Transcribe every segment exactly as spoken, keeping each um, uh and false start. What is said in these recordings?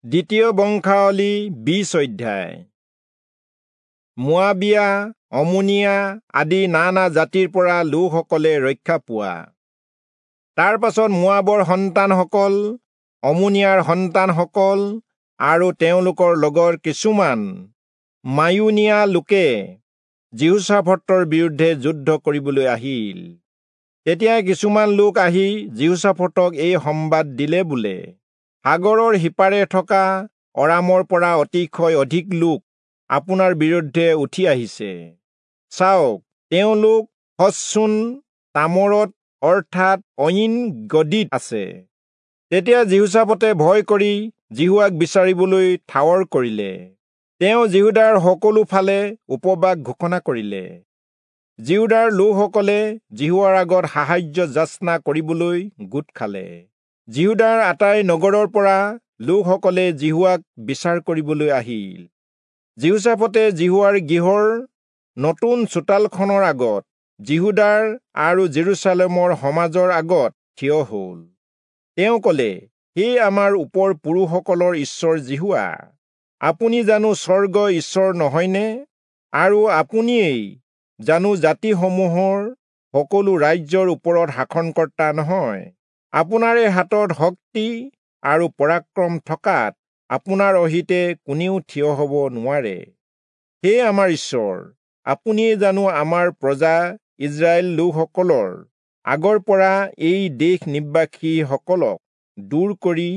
দ্বিতীয় বংশাৱলী বিশ অধ্যায়। মোৱাবিয়া, অমোনিয়া আদি নানা জাতিৰ পৰা লোকসকলে ৰক্ষা পোৱা। তাৰ পাছত মোৱাবৰ সন্তানসকল, অমোনিয়াৰ সন্তানসকল আৰু তেওঁলোকৰ লগৰ কিছুমান মায়ুনিয়া লোকে যিহোচাফটৰ বিৰুদ্ধে যুদ্ধ কৰিবলৈ আহিল। তেতিয়া কিছুমান লোক আহি যিহোচাফটক এই সম্বাদ দিলে বোলে, সাগৰৰ সিপাৰে থকা অৰামৰ পৰা অতিশয় অধিক লোক আপোনাৰ বিৰুদ্ধে উঠি আহিছে। চাওক, তেওঁলোক হচচোন তামৰত অৰ্থাৎ অয়িন গদীত আছে। তেতিয়া যিহোচাফটে ভয় কৰি যিহোৱাক বিচাৰিবলৈ ঠাৱৰ কৰিলে। তেওঁ যিহূদাৰ সকলো ফালে উপবাস ঘোষণা কৰিলে। যিহূদাৰ লোকসকলে যিহোৱাৰ আগত সাহায্য যাচনা কৰিবলৈ গোট খালে। যিহূদাৰ আটাই নগৰৰ পৰা লোকসকলে যিহোৱাক বিচাৰ কৰিবলৈ আহিল। যিহোচাফটে যিহোৱাৰ গৃহৰ নতুন চোতালখনৰ আগত যিহূদাৰ আৰু জেৰুচালেমৰ সমাজৰ আগত থিয় হ'ল। তেওঁ ক'লে, হে আমাৰ ওপৰ পুৰুষসকলৰ ঈশ্বৰ যিহোৱা, আপুনি জানো স্বৰ্গ ঈশ্বৰ নহয়নে? আৰু আপুনিয়েই জানো জাতিসমূহৰ সকলো ৰাজ্যৰ ওপৰত শাসনকৰ্তা নহয়? আপোনাৰে হাতত শক্তি আৰু পৰাক্ৰম থকাত আপোনাৰ অহিতে কোনেও থিয় হ'ব নোৱাৰে। হে আমাৰ ঈশ্বৰ, আপুনিয়ে জানো আমাৰ প্ৰজা ইস্ৰায়েল লোকসকলৰ আগৰ পৰা এই দেশ নিবাসীসকলক দূৰ কৰি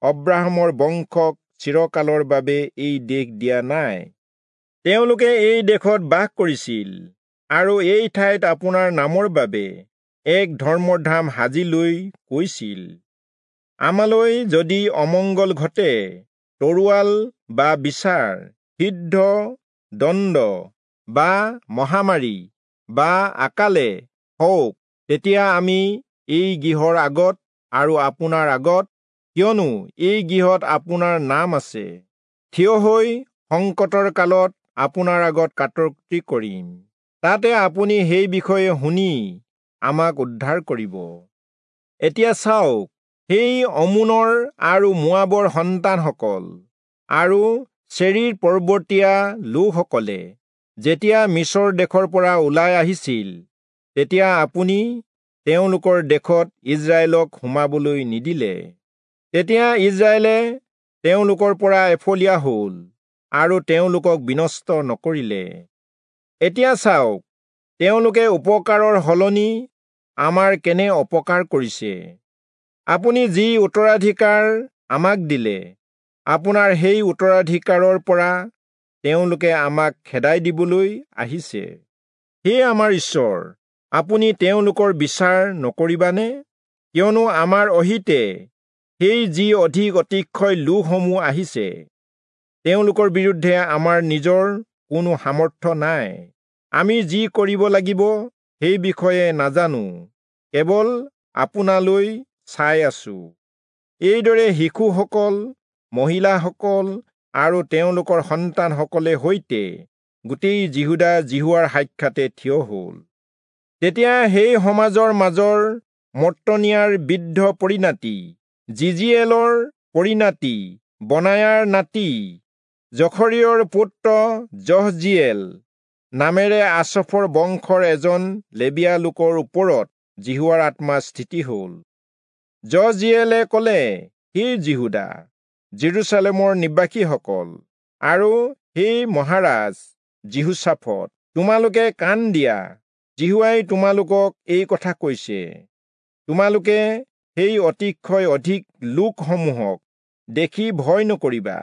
অব্ৰাহামৰ বংশক চিৰকালৰ বাবে এই দেশ দিয়া নাই? তেওঁলোকে এই দেশত বাস কৰিছিল আৰু এই ঠাইত আপোনাৰ নামৰ বাবে এক ধৰ্মধাম সাজি লৈ কৈছিল, আমালৈ যদি অমংগল ঘটে, তৰোৱাল বা বিচাৰ, সিদ্ধ দণ্ড বা মহামাৰী বা আকালে হওক, তেতিয়া আমি এই গৃহৰ আগত আৰু আপোনাৰ আগত, কিয়নো এই গৃহত আপোনাৰ নাম আছে, থিয় হৈ সংকটৰ কালত আপোনাৰ আগত কাতৰতি কৰিম। তাতে আপুনি সেই বিষয়ে শুনি আমাক উদ্ধাৰ কৰিব। এতিয়া চাওক, সেই অমোনৰ আৰু মোৱাবৰ সন্তানসকল আৰু চেৰীৰ পৰ্বতীয়া লোকসকলে যেতিয়া মিচৰ দেশৰ পৰা ওলাই আহিছিল, তেতিয়া আপুনি তেওঁলোকৰ দেশত ইস্ৰায়েলক সোমাবলৈ নিদিলে। তেতিয়া ইস্ৰায়েলে তেওঁলোকৰ পৰা এফলীয়া হ'ল আৰু তেওঁলোকক বিনষ্ট নকৰিলে। এতিয়া চাওক, তেওঁলোকে উপকাৰৰ সলনি আমাৰ কেনে অপকাৰ কৰিছে। আপুনি যি উত্তৰাধিকাৰ আমাক দিলে, আপোনাৰ সেই উত্তৰাধিকাৰৰ পৰা তেওঁলোকে আমাক খেদাই দিবলৈ আহিছে। হে আমাৰ ঈশ্বৰ, আপুনি তেওঁলোকৰ বিচাৰ নকৰিবানে? কিয়নো আমাৰ অহিতে সেই যি অধিক অতিশয় লোকসমূহ আহিছে, তেওঁলোকৰ বিৰুদ্ধে আমাৰ নিজৰ কোনো সামৰ্থ্য নাই। আমি যি কৰিব লাগিব সেই বিষয়ে নাজানো, কেৱল আপোনালৈ চাই আছো। এইদৰে শিশুসকল, মহিলাসকল আৰু তেওঁলোকৰ সন্তানসকলে সৈতে গোটেই যিহূদা যিহোৱাৰ সাক্ষাতে থিয় হ'ল। তেতিয়া সেই সমাজৰ মাজৰ মত্তনিয়াৰ বৃদ্ধ পৰিণাতি, জিজিয়েলৰ পৰিণাতি, বনায়াৰ নাতি, জখৰিয়ৰ পুত্ৰ যহজিয়েল নামেৰে আচফৰ বংশৰ এজন লেবীয়া লোকৰ ওপৰত যিহোৱাৰ আত্মা স্থিতি হ'ল। যহজিয়েলে ক'লে, হে যিহূদা, জেৰুচালেমৰ নিবাসীসকল আৰু হে মহাৰাজ যিহোচাফট, তোমালোকে কাণ দিয়া। যিহোৱাই তোমালোকক এই কথা কৈছে, তোমালোকে সেই অতিশয় অধিক লোকসমূহক দেখি ভয় নকৰিবা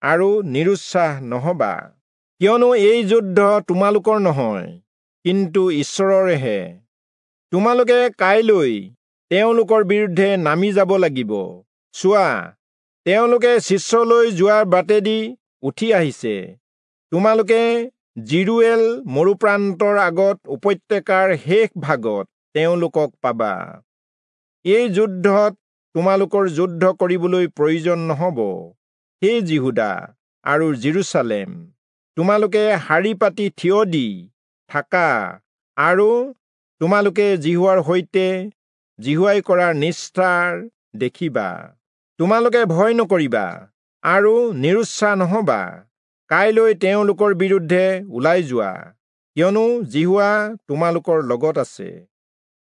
আৰু নিৰুৎসাহ নহবা, কিয়নো এই যুদ্ধ তোমালোকৰ নহয়, কিন্তু ঈশ্বৰৰহে। তোমালোকে কাইলৈ তেওঁলোকৰ বিৰুদ্ধে নামি যাব লাগিব। চোৱা, তেওঁলোকে শিষ্যলৈ যোৱাৰ বাটেদি উঠি আহিছে। তোমালোকে জিৰুৱেল মৰুপ্ৰান্তৰ আগত উপত্যকাৰ শেষ ভাগত তেওঁলোকক পাবা। এই যুদ্ধত তোমালোকৰ যুদ্ধ কৰিবলৈ প্ৰয়োজন নহব। হে যিহূদা আৰু জেৰুচালেম, তোমালোকে শাৰী পাতি থিয় দি থাকা আৰু তোমালোকে যিহোৱাৰ সৈতে যিহোৱাই কৰা নিষ্ঠাৰ দেখিবা। তোমালোকে ভয় নকৰিবা। আৰু নিৰুৎসাহ নহবা। কাইলৈ তেওঁলোকৰ বিৰুদ্ধে ওলাই যোৱা, কিয়নো যিহোৱা তোমালোকৰ লগত আছে।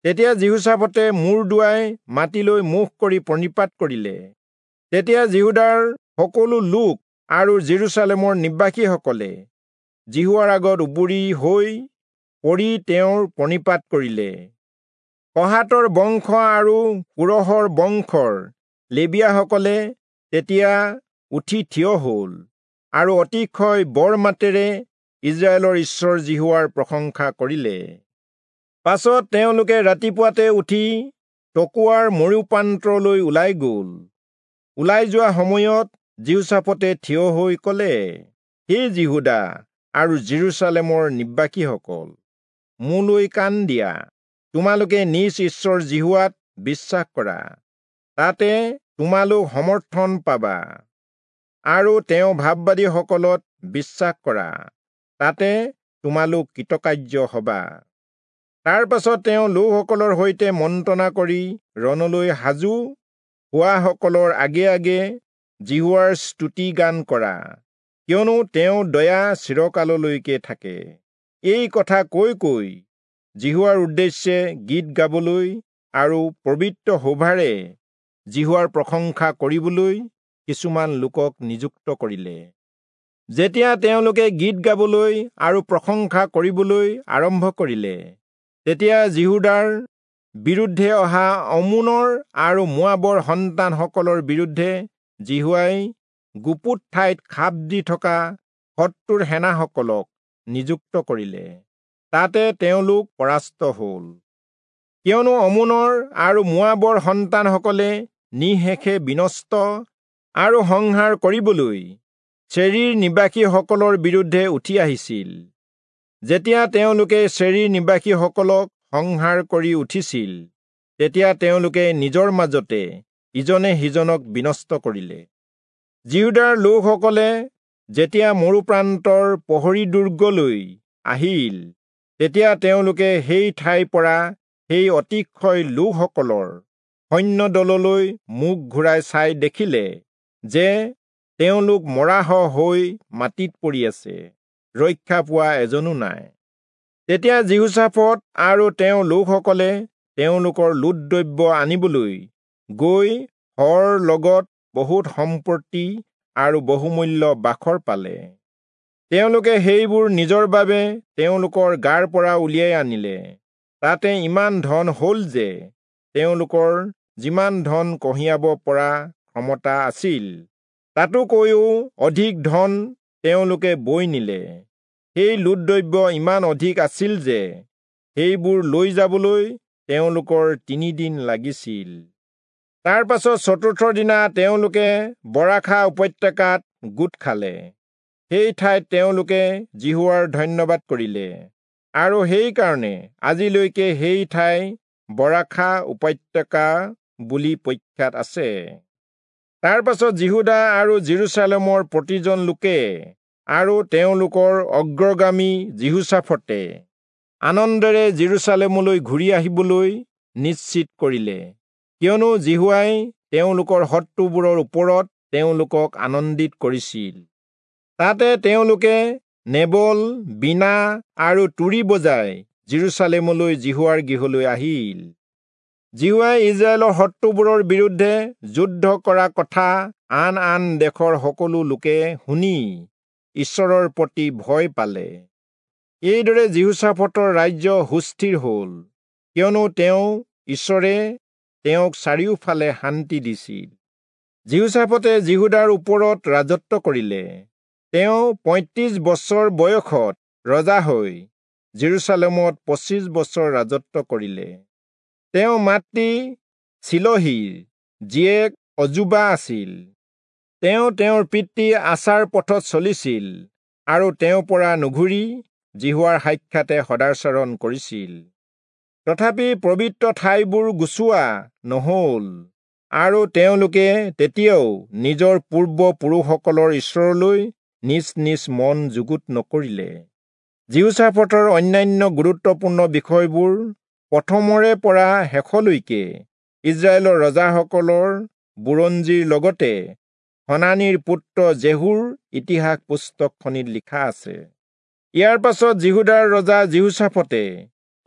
তেতিয়া যিহোচাফটে মূৰ দোৱাই মাটিলৈ মুখ কৰি প্ৰণিপাত কৰিলে। তেতিয়া যিহূদাৰ সকলো লোক আৰু যিৰূচালেমৰ নিবাসীসকলে যিহোৱাৰ আগত উবুৰি হৈ পৰি তেওঁৰ প্ৰণিপাত কৰিলে। কহাতৰ বংশ আৰু কোৰহৰ বংশৰ লেবীয়াসকলে তেতিয়া উঠি থিয় হল আৰু অতিশয় বৰ মাতেৰে ইস্ৰায়েলৰ ঈশ্বৰ যিহোৱাৰ প্ৰশংসা কৰিলে। পাছত তেওঁলোকে ৰাতিপুৱাতে উঠি তকোৱাৰ মৰুপ্ৰান্তৰলৈ ওলাই গল। ওলাই যোৱা সময়ত যিহোচাফটে থিয় হৈ কলে, হে যিহূদা আৰু যিৰূচালেমৰ নিবাসীসকল, মোলৈ কাণ দিয়া। তোমালোকে নিজ ঈশ্বৰ যিহোৱাত বিশ্বাস কৰা, তাতে তোমালোক সমৰ্থন পাবা, আৰু তেওঁ ভাববাদীসকলত বিশ্বাস কৰা, তাতে তোমালোক কৃতকাৰ্য হবা। তাৰ পাছত তেওঁ লোকসকলৰ সৈতে মন্ত্ৰণা কৰি ৰণলৈ সাজু হোৱাসকলৰ আগে আগে যিহোৱাৰ স্তুতি গান কৰা, কিয়নো তেওঁ দয়া চিৰকাললৈকে থাকে। এই কথা কৈ কৈ যিহোৱাৰ উদ্দেশ্যে গীত গাবলৈ আৰু পবিত্ৰ শোভাৰে যিহোৱাৰ প্ৰশংসা কৰিবলৈ কিছুমান লোকক নিযুক্ত কৰিলে। যেতিয়া তেওঁলোকে গীত গাবলৈ আৰু প্ৰশংসা কৰিবলৈ আৰম্ভ কৰিলে, তেতিয়া যিহূদাৰ বিৰুদ্ধে অহা অম্মোনৰ আৰু মোৱাবৰ সন্তানসকলৰ বিৰুদ্ধে যিহোৱাই গুপুত ঠাইত খাপ দি থকা শত্ৰুৰ সেনাসকলক নিযুক্ত কৰিলে। তাতে তেওঁলোক পৰাস্ত হল, কিয়নো অম্মোনৰ আৰু মোৱাবৰ সন্তানসকলে নিঃশেষে বিনষ্ট আৰু সংহাৰ কৰিবলৈ চেৰীৰ নিবাসীসকলৰ বিৰুদ্ধে উঠি আহিছিল। যেতিয়া তেওঁলোকে চেৰীৰ নিবাসীসকলক সংহাৰ কৰি উঠিছিল, তেতিয়া তেওঁলোকে নিজৰ মাজতে ইজনে সিজনক বিনষ্ট কৰিলে। যিহূদাৰ লোকসকলে যেতিয়া মৰুপ্ৰান্তৰ প্ৰহৰী দুৰ্গলৈ আহিল, তেতিয়া তেওঁলোকে সেই ঠাইৰ পৰা সেই অতিশয় লোকসকলৰ সৈন্যদললৈ মুখ ঘূৰাই চাই দেখিলে যে তেওঁলোক মৰাশ হৈ মাটিত পৰি আছে, ৰক্ষা পোৱা এজনো নাই। তেতিয়া যিহোচাফট আৰু তেওঁৰ লোকসকলে তেওঁলোকৰ লুট দ্ৰব্য আনিবলৈ গৈ শৰ লগত বহুত সম্পত্তি আৰু বহুমূল্য বাখৰ পালে। তেওঁলোকে সেইবোৰ নিজৰ বাবে তেওঁলোকৰ গাৰ পৰা উলিয়াই আনিলে। তাতে ইমান ধন হল যে তেওঁলোকৰ যিমান ধন কঢ়িয়াব পৰা ক্ষমতা আছিল, তাতোকৈও অধিক ধন তেওঁলোকে বৈ নিলে। সেই লুট দ্ৰব্য ইমান অধিক আছিল যে সেইবোৰ লৈ যাবলৈ তেওঁলোকৰ তিনিদিন লাগিছিল। তাৰ পাছত চতুৰ্থ দিনা তেওঁলোকে বৰাখা উপত্যকাত গোট খালে। সেই ঠাইত তেওঁলোকে যিহোৱাৰ ধন্যবাদ কৰিলে, আৰু সেইকাৰণে আজিলৈকে সেই ঠাই বৰাখা উপত্যকা বুলি প্ৰখ্যাত আছে। তাৰ পাছত যিহূদা আৰু যিৰূচালেমৰ প্ৰতিজন লোকে আৰু তেওঁলোকৰ অগ্ৰগামী যিহোচাফটে আনন্দেৰে যিৰূচালেমলৈ ঘূৰি আহিবলৈ নিশ্চিত কৰিলে, কিয়নো যিহোৱাই তেওঁলোকৰ শত্ৰুবোৰৰ ওপৰত তেওঁলোকক আনন্দিত কৰিছিল। তাতে তেওঁলোকে নেবল, বীণা আৰু তুৰী বজাই যিৰূচালেমলৈ যিহোৱাৰ গৃহলৈ আহিল। যিহোৱাই ইস্ৰায়েলৰ শত্ৰুবোৰৰ বিৰুদ্ধে যুদ্ধ কৰা কথা আন আন দেশৰ সকলো লোকে শুনি ঈশ্বৰৰ প্ৰতি ভয় পালে। এইদৰে যিহোচাফটৰ ৰাজ্য সুস্থিৰ হল, কিয়নো তেওঁ ঈশ্বৰে তেওঁক চাৰিওফালে শান্তি দিছিল। যিহোচাফটে যিহূদাৰ ওপৰত ৰাজত্ব কৰিলে। তেওঁ পঁয়ত্ৰিশ বছৰ বয়সত ৰজা হৈ যিৰূচালেমত পঁচিছ বছৰ ৰাজত্ব কৰিলে। তেওঁ মাতৃ চিলহীৰ জীয়েক অজুবা আছিল। তেওঁ তেওঁৰ পিতৃ আচাৰ পথত চলিছিল আৰু তেওঁৰ পৰা নুঘূৰি যিহোৱাৰ সাক্ষাতে সদাচৰণ কৰিছিল। তথাপি পবিত্ৰ ঠাইবোৰ গুচোৱা নহল, আৰু তেওঁলোকে তেতিয়াও নিজৰ পূৰ্বপুৰুষসকলৰ ঈশ্বৰলৈ নিজ নিজ মন যুগুত নকৰিলে। যিহোচাফটৰ অন্যান্য গুৰুত্বপূৰ্ণ বিষয়বোৰ প্ৰথমৰে পৰা শেষলৈকে ইস্ৰায়েলৰ ৰজাসকলৰ বুৰঞ্জীৰ লগতে হনানিৰ পুত্ৰ জেহুৰ ইতিহাস পুস্তকখনিত লিখা আছে। ইয়াৰ পাছত যিহূদাৰ ৰজা যিহোচাফটে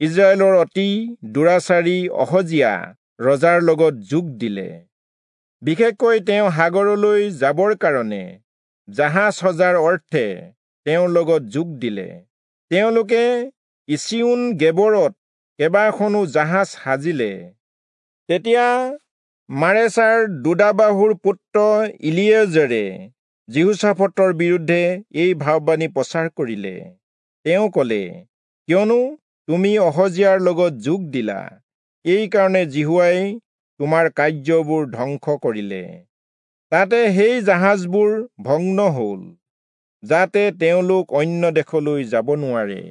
ইজৰাইলৰ অতি দুৰাচাৰী অহজিয়া ৰজাৰ লগত যোগ দিলে। বিশেষকৈ তেওঁ সাগৰলৈ যাবৰ কাৰণে জাহাজ সজাৰ অৰ্থে তেওঁৰ লগত যোগ দিলে। তেওঁলোকে ইচিয়োন গেবৰত কেইবাখনো জাহাজ সাজিলে। তেতিয়া মাৰেচাৰ দোদাবাহুৰ পুত্ৰ ইলিয়েজেৰে যিহোচাফটৰ বিৰুদ্ধে এই ভাববাণী প্ৰচাৰ কৰিলে। তেওঁ কলে, কিয়নো তুমি অহজিয়াৰ লগত যোগ দিলা, এই কাৰণে যিহোৱাই তোমাৰ কাৰ্যবোৰ ধ্বংস কৰিলে। তাতে সেই জাহাজবোৰ ভগ্ন হল, যাতে তেওঁলোক অন্য দেশলৈ যাব নোৱাৰে।